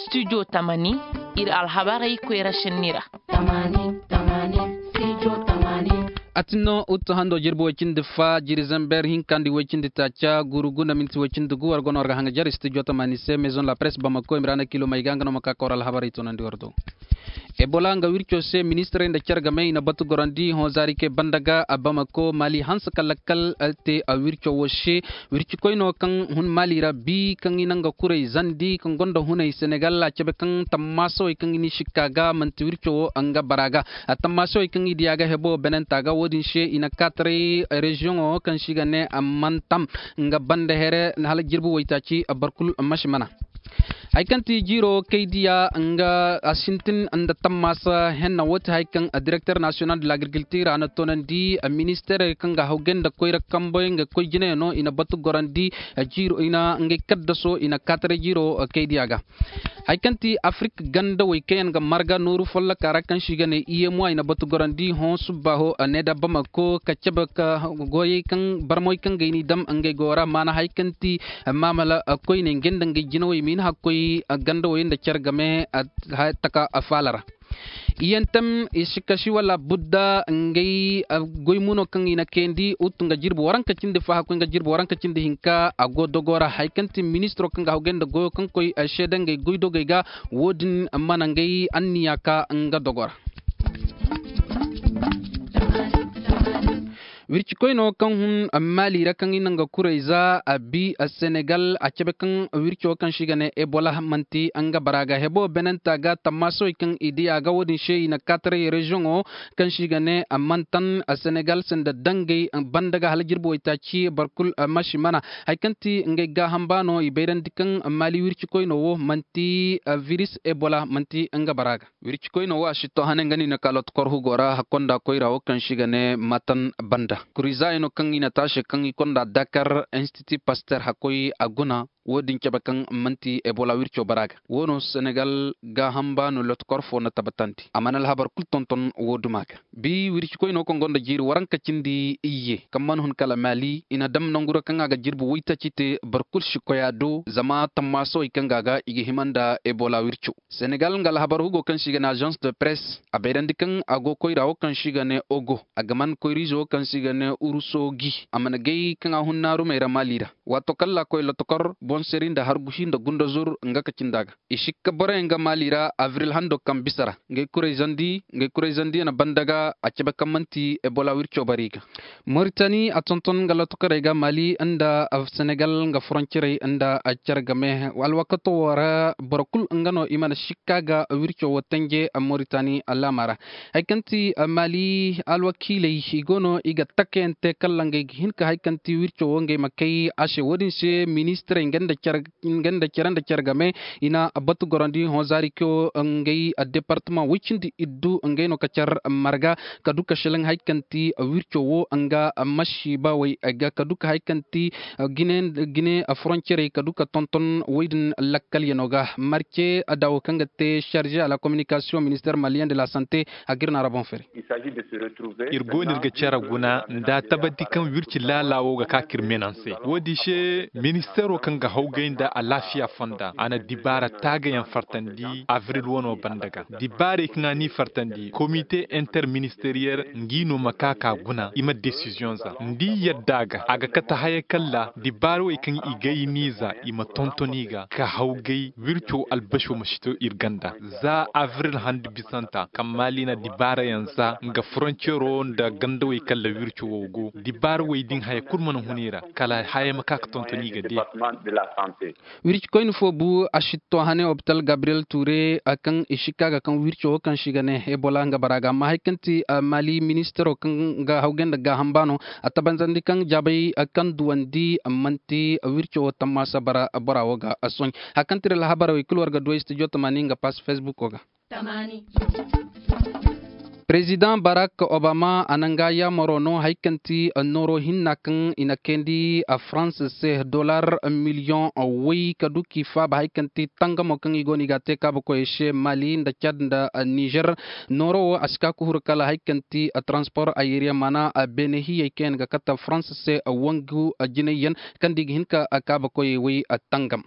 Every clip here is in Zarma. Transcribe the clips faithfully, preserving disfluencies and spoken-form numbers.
Studio tamani, iri alhabarey koyra senni ra. A tin no uttu hando jirbi way cindi fa jiri zamber hinka nda way cindi taaca guru guna minti way cindi gu war go no war ga hanga jare studio tamani se maison la presse bamako i ma ra na kilo may ga nga no ma ka ka war alhabarey toonandi war do. Ebola nga wirco se ministirey nda care game i na batu gorandi hõ zaari kay banda ga a bamako mali hanse ka lakkal te a wirco wo se. Wirci koyno kaŋ hun mali ra bi kaŋ i na nga kuray zandi kaŋ gonda hunay senegal a cabe kaŋ tammaasawey kaŋ i n'i sikka ga manti wirco wo nga bara ga. A tammaasawey kaŋ i diya ga hebo benenta ga wo- din se i na kaataray reziyoŋo kaŋ se i ga ne mantam nga banda here hala jirbi waytaaci barkul masi mana. Hari kaŋ ti jiiro kay diya nga a sintin nda tammaasa henna wo- ti hari kaŋ direkter nasiyonal de lagrikiltir a na toonandi ministeerey kaŋ ga hawgay nda koyra kamboy nga koy jinayaŋo i na batu gorandi jiiro i na ngey kaddaso i na kaataray jiiro kay diya ga. Hari kaŋ ti afrik gandawey kaŋ yaŋ ga marga nooru folloka ra kaŋ se i ga ne iyemwa i na batu gorandi hõ subbaaho ne da bamako ka cabe ka goyey kaŋ barmoy kaŋ ga ay n'i dam ngey go ra maana hari kaŋ ti maamala koyne ngey nda ngey jinawey ma i na hakkoy gandawey nda care game taka faala ra. Iyantam isikasi wala budda ngey goy muno kaŋ i na kayandi utu nga jirbi waranka cindi fa hakkoy nga jirbi waranka cindi hinka a go dogo ra hari kaŋ ti ministiro kaŋ ga hawgay nda goyo kaŋ koy seeda ngey goy dogey ga. Wo- din mana ngey anniya ka nga dogo ra. Wirci koyno kaŋ hun mali ra kaŋ i na nga kuray za a bi senegal a cabe kaŋ wirco kaŋ se i ga ne ebola manti nga bara ga hebo benanta ga tammaasawey kaŋ i di a ga wo- din se i na kaataray reziyoŋo kaŋ se i ga ne mantan senegal sanda dangey banda ga hala jirbi waytaaci barkul masi mana. Hari kaŋ ti ngey gaaham baano i bayrandi kaŋ mali wirci koyno wo manti viris ebola manti nga bara ga. Wirci koyno wo a si to hane nga no i na ka loto korhugo ra hakkonda koyra wo kaŋ se i ga ne matan banda kurizaayey no kaŋ i na taase kaŋ i konda dakar institut paster hakkoy a guna. Wo- din cabe kaŋ manti ebola wirco bara ga wo no senegal gaaham baano loto kor fo na tabbatandi a mana alhabar kulu tonton wo- duma ga. Bi wirci koyno kaŋ gonda jiiri waranka cindi iyye kaŋ mana hun kala mali i na dam nangu ra kaŋ a ga jirbi waytaaci te boro kulu si koy a do zama tammaasawey kaŋ ga a ga i ga hima nda ebola wirco. Senegal nga alhabar hugo kaŋ se i ga ne agence de presse a bayrandi kaŋ a go koyra wo kaŋ se i ga ne ogo a ga man koyriize wo kaŋ se i ga ne urusogi a mana gay kaŋ a hun naarumey ra mali ra. Waato kaŋ laakoy lotokor boŋ seri nda harguhi nda gundazur nga ka cindi a ga i sikka boroyaŋ ga mali ra avril hando kaŋ bisa ra ngey kuray zandi ngey kuray zandi yaŋ banda ga a cabe kaŋ manti ebola wirco bari ga. Moritani a tonton nga lotokorey ga mali nda senegal nga foroncirey nda care game alwakato wo ra boro kulu nga no i mana sikka ga wirco wo tanje moritani alaama ra. Hari kaŋ ti mali alwakiiley i go no i ga takayaŋ te kala ngey ga hin ka hari kaŋ ti wirco wo ngey ma kay a se wo- din se ministirey nga nda care nda care game i na batu gorandi hõ zaari kayo ngey departama way cindi iddu ngey no ka care marga ka du ka selaŋ hari kaŋ ti wirco wo nga masiiba way ga ka du ka hari kaŋ ti gine foroncirey ka du ka tonton way din lakkalyano ga marce dawo kaŋ ga te charge a la communication minister malien de la sante a ga iri no a ra boŋ fere. Iri go no iri ga care guna nda tabati kaŋ wirci laala wo ga ka ka iri meenaŋ se wo- din se ministeero kaŋ ga hawgay nda alaafiya fonda a na dibaara taagayaŋ fartandi avril wano banda ga dibaarey kaŋ a n'i fartandi komite interministeriyel ngi no ma ka ka guna i ma desiziyoŋ za nda i yadda a ga a ga kate haya kalla dibaarey kaŋ i gay n'i za i ma tonton i ga ka hawgay wirco albasho ma si to iri ganda za avril handu bisanta kaŋ maali na dibaarayaŋ za nga foroncero nda gandawey kalla wirco wo go dibaara wey din haya kulu mana hun i ra kala haya ma ka ga tonton i ga de. Wirci koyne fo bu a si to hane hopital gabriel ture kaŋ i si ka ga kaŋ wirco wo kaŋ si ga ne ebola nga bara ga amma hari kaŋ ti mali ministero kaŋ ga hawgay nda gaaham baano a tabanzandi kaŋ jaabay kaŋ duwandi manti wirco wo tammaasa bara bora wo ga sohõ hari kaŋ ti ra alhabarey kulu war ga duway studio tamani nga pass facebook wo ga. Perezidaŋ Barak Obama a na nga yaamaro no hari kaŋ ti nooro hinna kaŋ i na kayandi a Farans se dollar miliyoŋ way ka du k'i faaba hari kaŋ ti tangamo kaŋ i go no i ga a te kaabakoyey se Mali nda Cad nda Nizer. Nooro wo a si ka ka huru kala hari kaŋ ti transpor ayeriyaŋ maana beene hiyey kaŋ yaŋ ga kate Farans se wangu jinayyaŋ kaŋ da i ga hin ka kaabakoyey way tangam.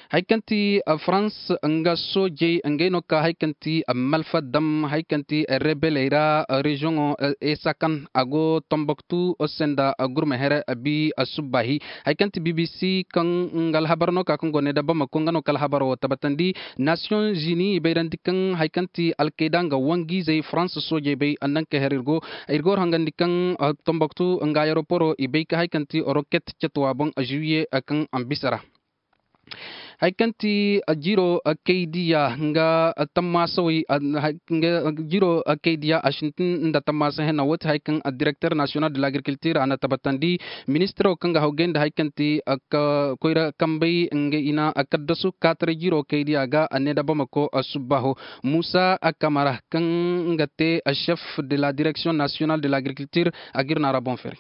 Hari kaŋ ti Farans nga soojey ngey no ka hari kaŋ ti malfa dam hari kaŋ ti rebeley ra reziyoŋo esakan a go tomboktu se nda gurma here bi subbaahi. Hari kaŋ ti bbc kaŋ nga alhabar no ka kaŋ go ne da bamako nga no ka alhabaro wo tabbatandi. Nasiyoŋ zini i bayrandi kaŋ hari kaŋ ti alkayda nga wangu-izey farans soojey bay nanka her ir go. Ir go hangandi kaŋ tomboktu nga ayeroporo i bay ka hari kaŋ ti roket catuwa boŋ ziwiye kaŋ a ma bisa ra. Hari kaŋ ti jiro kaydiya nga tammaasawey jiro kaydiya a sintin nda tammaasa henna wo ti hari kaŋ direkter nasiyonal de lagrikultir a na tabbatandi. Ministiro kaŋ ga hawgay nda hari kaŋ ti koyra kambey nga i na kaddasu kaataray jiro kaydiya ga a ne da bamako subbaho musa kamara kaŋ nga te chef de la direction nationale de lagrikultir. A ga ir no a ra boŋ feeri.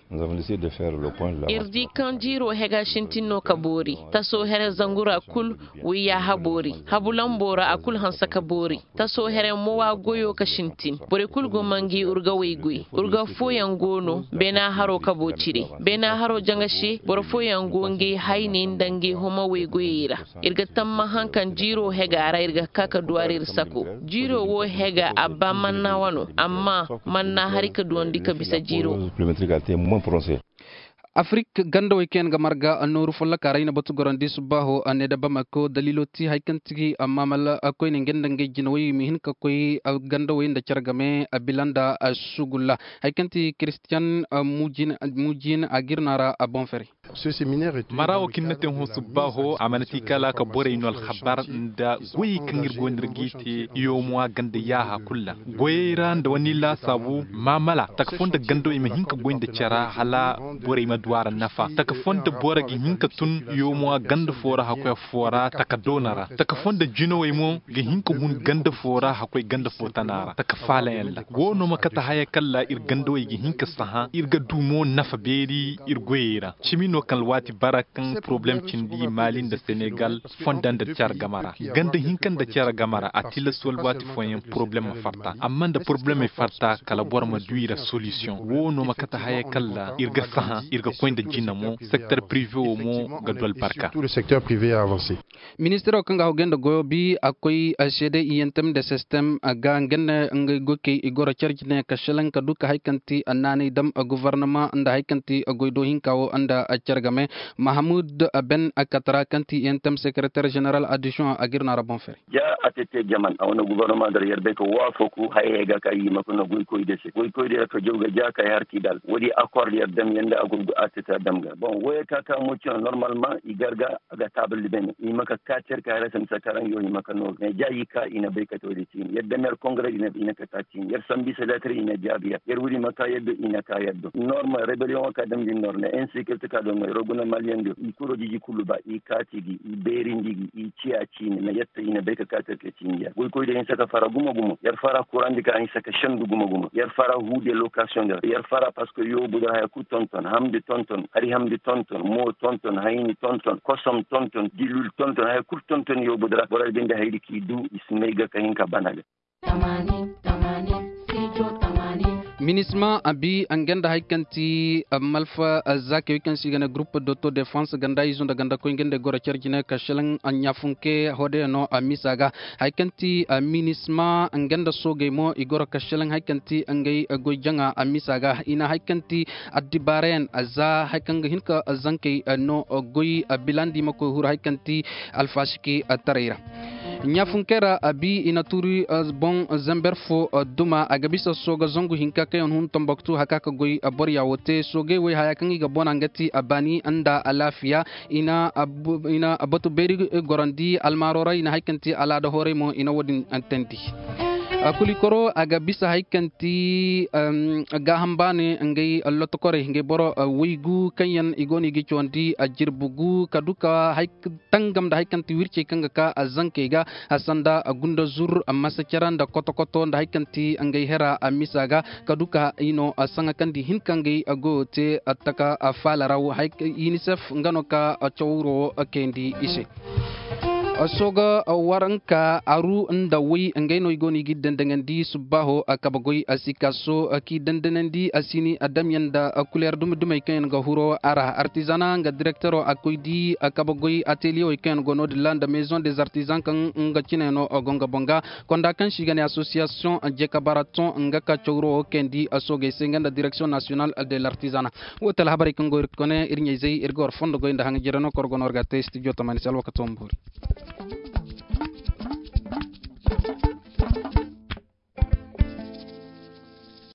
Ir di kaŋ jiiro hega sintin no ka boori. Taso here zangura kulu wiyya haboori habu lambo ra a kulu hanse ka boori. Taso here mo wa goyo ka sintin borey kulu go ma ngi urga waygoy. Urga fooyaŋ go no beena haro kabo cire. Beena haro jaŋa se boro fooyaŋ go ngey hayney nda ngey homa waygoyey ra. Ir ga tamma haŋ kaŋ jiiro hega ra ir ga ka ka duw'ari ir sako. Jiiro wo hega a ba manna wano amma manna hari ka duwandi ka bisa jiiro. Afirik gandawey kaŋ yaŋ ga marga nooru folloka ra i na batu gorandi subbaaho a ne da bamako daliilo ti hari kaŋ ti amma mala koyne ngey nda ngey jinawey ma hin ka koy gandawey nda care game a bila nda sugulla. Hari kaŋ ti kiristiyan mujin a ga ir no a ra a boŋ fere. Mara wo kaŋ ni na te hõ subbaaho a mana ti kala ka borey no alhabar nda goyey kaŋ ir go no ir g'i te. Yoomuwa ganda yaaha kulu ra goyey ra nda wani laasaabu maamala taka fo nda gandawey ma hin ka goy nda cara hala borey ma du a ra nafa taka fo nda boro ga hin ka tun yoomuwa ganda fo ra hakkoy fo ra taka doona ra taka fo nda jinawey mo ga hin ka hun ganda fo ra hakkoy ganda fo tana ra taka faalayaŋ ra. Wo no ma kate haya kaŋ ra ir gandawey ga hin ka sahã ir ga du mo nafa beeri ir goyey ra. Cimi no kaŋ alwaati bara kaŋ poroblem cindi maali nda senegal fonda nda care game ra. Ganda hinka nda care game ra a tilas wala waati fooyaŋ poroblem ma farta amma nda poroblemey farta kala boro ma du i ra solisiyoŋ. Wo no ma kate haya kaŋ ra ir ga sahã ir ga koy nda jina mo sekter pirive wo mo ga du albarka. Ministiro kaŋ ga hawgay nda goyo bi a koy seede i yaŋ tem nda sistem ga nga nda ngey goykey i goro care jine ka selaŋ ka du ka hari kaŋ ti naanay dam govornama nda hari kaŋ ti goy do hinka wo nda care game. Mahamud ben katara kaŋ ti i yaŋ tem sekereter jeneral addision a ga ir no a ra boŋ fere. Ja a tete jaman a wane govornama dara yar bay ka waafaku hayey ga ka i ma ka no goykoy day se goykoy day ra ka jaw ga ja ka ay har k'i dal wo- din akor yar dam yaŋ nda a gurgu a tete a dam ga boŋ wo- ya ka ka mo cino normalman i gar ga a ga taabal di bay no i ma ka ka care ka hayra se ma sakaraŋ yo i ma ka nooru mais ja i ka i na bay ka te wo- din ciini yar dam yar kongare i na ka ta ciini yar sambu i se leetar i na jaabi yar yar wo- din ma ka yar do i na ka yar do normal rebellion wo ka dam din normal insekirte ka do no yar wo guna maliyaŋ do i kuro jiji kulu ba i kaati gi i beerindi gi i ciya ciine ma yette i na bay ka kaati yar ka ciine yar goykoy da hinsa ka fara gumo gumo yar fara kurandi ka hinsa ka sendu gumo gumo yar fara huude lokasiyoŋ da yar fara parceque yoobu da haya kulu tonton hamdi tonton hari hamdi tonton mo tonton hayni tonton kosom tonton dilul tonton haya kulu tonton yoobu da ra boro din da haydi k'i du i si may ga ka hin ka bana ga. Minisma a bi a nga nda hari kaŋ ti malfa zaakey kaŋ se i ga ne groupe d'auto defense ganda izo nda ganda koy nga nda goro care jine ka selaŋ a ɲaafunke hoodey no a misa ga. Hari kaŋ ti minisma nga nda soogey mo i goro ka selaŋ hari kaŋ ti ngey goy jaŋa a misa ga i na hari kaŋ ti addibaarayaŋ za hari kaŋ ga hin ka zankey no goy bilandi ma koy huru hari kaŋ ti alfasiki taray ra. Ɲaafunkey ra a bi i na tuuri boŋ zember fo duma a ga bisa sooga zangu hinka kaŋ yaŋ hun tomboktu haka ka goy borya wo te soogey wey haya kaŋ i ga bona nga ti a baani nda alaafiya. I na batu beeri gorandi almaaro ra i na hari kaŋ ti alaada horay mo i na wo- din tandi. Akulikoro a ga bisa hari kaŋ ti gaaham baani ngey lotokorey ngey boro waygu kaŋ yaŋ i go no i ga i cawandi jirbi gu ka du ka hari tangam nda hari kaŋ ti wircey kaŋ ga ka zankey ga, sanda gunda zur, masacara nda koto-koto nda hari kaŋ ti ngey hera misa ga ka du ka i no saŋa kaŋ di hinka ngey go te taka faala ra. Unicef nga no ka cawro kayandi i se. Sooga waranka aru nda way ngey no i go no i ga i dandaŋandi subbaaho kabagoy sikaaso k'i dandaŋandi sini damyaŋ nda kuleer dumi-dumey kaŋ yaŋ ga huro a ra. Artizana nga direktero a koy di kabagoy ateliyewey kaŋ yaŋ go no-din ra nda maison des artisans kaŋ nga cine no go nga boŋ ga. Konda kaŋ se i ga ne association jekabaraton nga ka cawro wo kayandi soogey se nga nda direction nationale de l'artisanat. Wo ti alhabarey kaŋ go iri kone iri ɲayzey iri ga war fondo goy nda haŋ jire no koro go no war ga te studio tamaani se alwakato ma boori.